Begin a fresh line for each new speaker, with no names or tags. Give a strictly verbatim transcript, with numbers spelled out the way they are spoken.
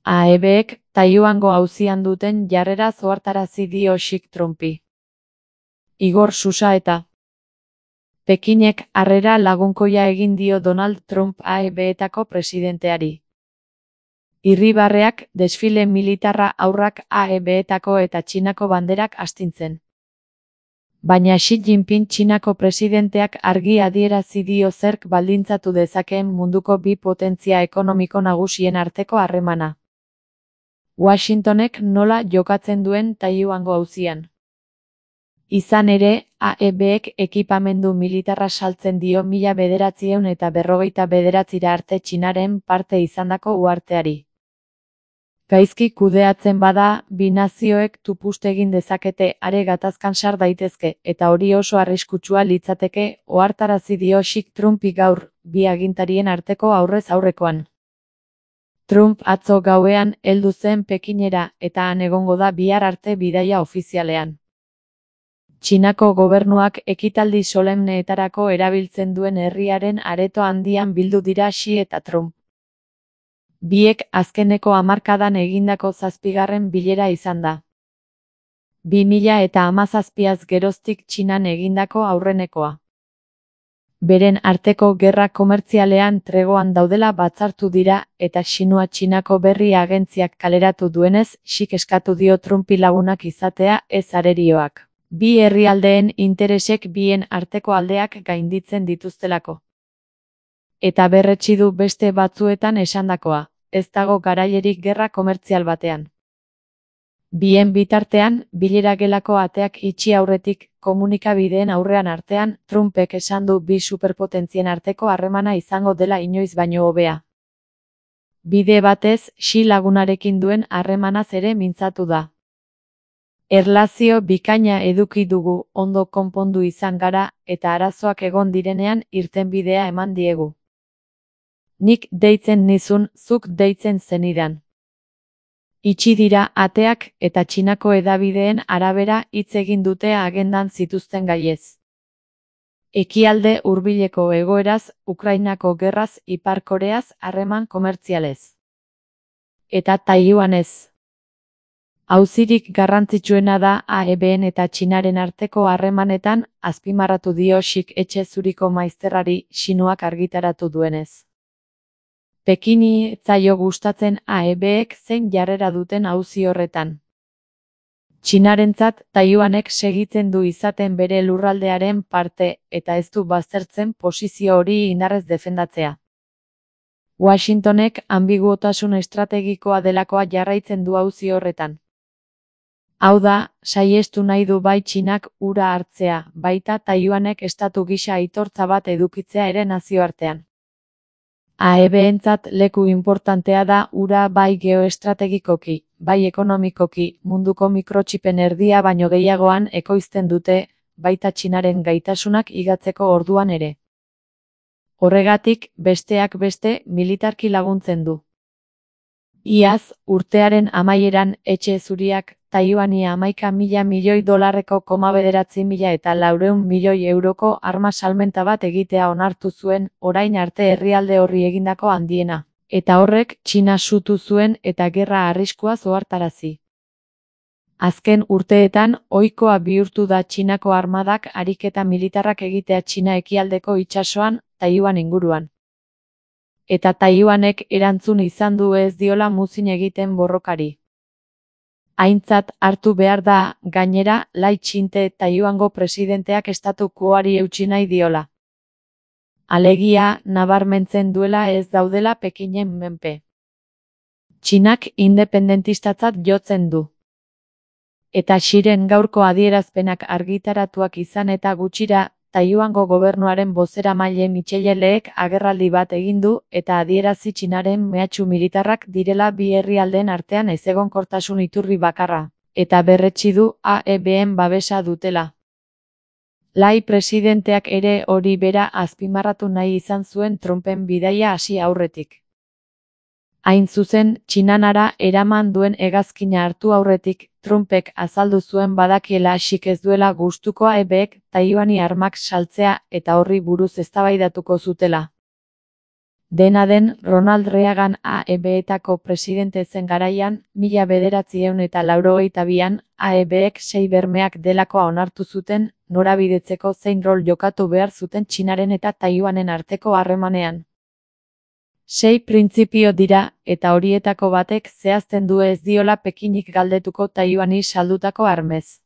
A E Bek Taiwango auzian duten jarreraz ohartarazi dio Xik Trumpi. Igor Susa eta Pekinek harrera lagunkoia egin dio Donald Trump A E Betako presidenteari. Irribarreak, desfile militarra aurrak A E Betako eta Txinako banderak astintzen. Baina Xi Jinping Txinako presidenteak argi adierazi dio zerk baldintzatu dezakeen munduko bi potentzia ekonomiko nagusien arteko harremana. Washingtonek nola jokatzen duen Taiwango auzian. Izan ere, A E Bek ekipamendu militarra saltzen dio mila bederatziehun eta berrogeita bederatzira arte Txinaren parte izandako uharteari. Gaizki kudeatzen bada, bi nazioek tupust egin dezakete are gatazkan sar daitezke, eta hori oso arriskutsua litzateke, ohartarazi dio Xik Trumpi gaur, bi agintarien arteko aurrez aurrekoan. Trump atzo gauean heldu zen Pekinera, eta han egongo da bihar arte bidaia ofizialean. Txinako gobernuak ekitaldi solemneetarako erabiltzen duen herriaren areto handian bildu dira Xi eta Trump. Biek azkeneko hamarkadan egindako zazpigarren bilera izan da. bi mila eta hamazazpiaz geroztik Txinan egindako aurrenekoa. Beren arteko gerra komertzialean tregoan daudela batzartu dira, eta Xinua Txinako berri agentziak kaleratu duenez, Xik eskatu dio Trumpi lagunak izatea ez arerioak. Bi herrialdeen interesek bien arteko aldeak gainditzen dituztelako. Eta berretsi du beste batzuetan esandakoa, ez dago garailerik gerra komertzial batean. Bien bitartean, bilera gelako ateak itxi aurretik, komunikabideen aurrean artean, Trumpek esan du bi superpotentzien arteko harremana izango dela inoiz baino hobea. Bide batez, Xi lagunarekin duen harremanaz ere mintzatu da. Erlazio bikaina eduki dugu, ondo konpondu izan gara, eta arazoak egon direnean irtenbidea eman diegu. Nik deitzen nizun, zuk deitzen zenidan. Itxi dira ateak eta Txinako hedabideen arabera hitz egin dute agendan zituzten gaiez. Ekialde hurbileko egoeraz, Ukrainako gerraz, Ipar Koreaz, harreman komertzialez. Eta Taiwanez. Auzirik garrantzitsuena da A E Ben eta Txinaren arteko harremanetan, azpimarratu dio Xik etxe zuriko maizterrari Xinuak argitaratu duenez. Pekini ez zaio gustatzen A E Bek zein jarrera duten auzi horretan. Txinarentzat Taiwanek segitzen du izaten bere lurraldearen parte, eta ez du baztertzen posizio hori indarrez defendatzea. Washingtonek ambiguotasun estrategikoa delakoa jarraitzen du auzi horretan. Hau da, saihestu nahi du bai Txinak hura hartzea, baita Taiwanek estatu gisa aitortza bat edukitzea ere nazioartean. A E Bentzat leku importantea da hura bai geoestrategikoki, bai ekonomikoki, munduko mikrotxipen erdia baino gehiagoan ekoizten dute, baita Txinaren gaitasunak higatzeko orduan ere. Horregatik, besteak beste, militarki laguntzen du. Iaz, urtearen amaieran etxe zuriak, Taiwani hamaika mila milioi dolarreko koma bederatzi mila eta laurehun milioi euroko arma salmenta bat egitea onartu zuen, orain arte herrialde horri egindako handiena. Eta horrek Txina sutu zuen eta gerra arriskuaz ohartarazi. Azken urteetan, ohikoa bihurtu da Txinako armadak ariketa militarrak egitea Txina ekialdeko itsasoan, Taiwan inguruan. Eta Taiwanek erantzun izan du ez diola muzin egiten borrokari. Aintzat hartu behar da, gainera, Lai Ching-te Taiwango presidenteak estatu quoari eutsi nahi diola. Alegia, nabarmentzen duela ez daudela Pekinen menpe. Txinak independentistatzat jotzen du. Eta Xiren gaurko adierazpenak argitaratuak izan eta gutxira, Taiwango gobernuaren bozeramaile Michelle-leek agerraldi bat egin du eta adierazi Txinaren mehatxu militarrak direla bi herrialdeen artean ezegonkortasun iturri bakarra, eta berretsi du A E Ben babesa dutela. Lai presidenteak ere hori bera azpimarratu nahi izan zuen Trumpen bidaia hasi aurretik. Hain zuzen, Txinanara eraman duen hegazkina hartu aurretik, Trumpek azaldu zuen badakiela Xik ez duela gustuko A E Bek Taiwani armak saltzea eta horri buruz eztabaidatuko zutela. Dena den, Ronald Reagan A E B-etako presidente zen garaian, mila bederatziehun eta laurogeita bian, A E B-ek sei bermeak delakoa onartu zuten, norabidetzeko zein rol jokatu behar zuten Txinaren eta Taiwanen arteko harremanean. Sei printzipio dira, eta horietako batek zehazten du ez diola Pekinik galdetuko Taiwani saldutako armez.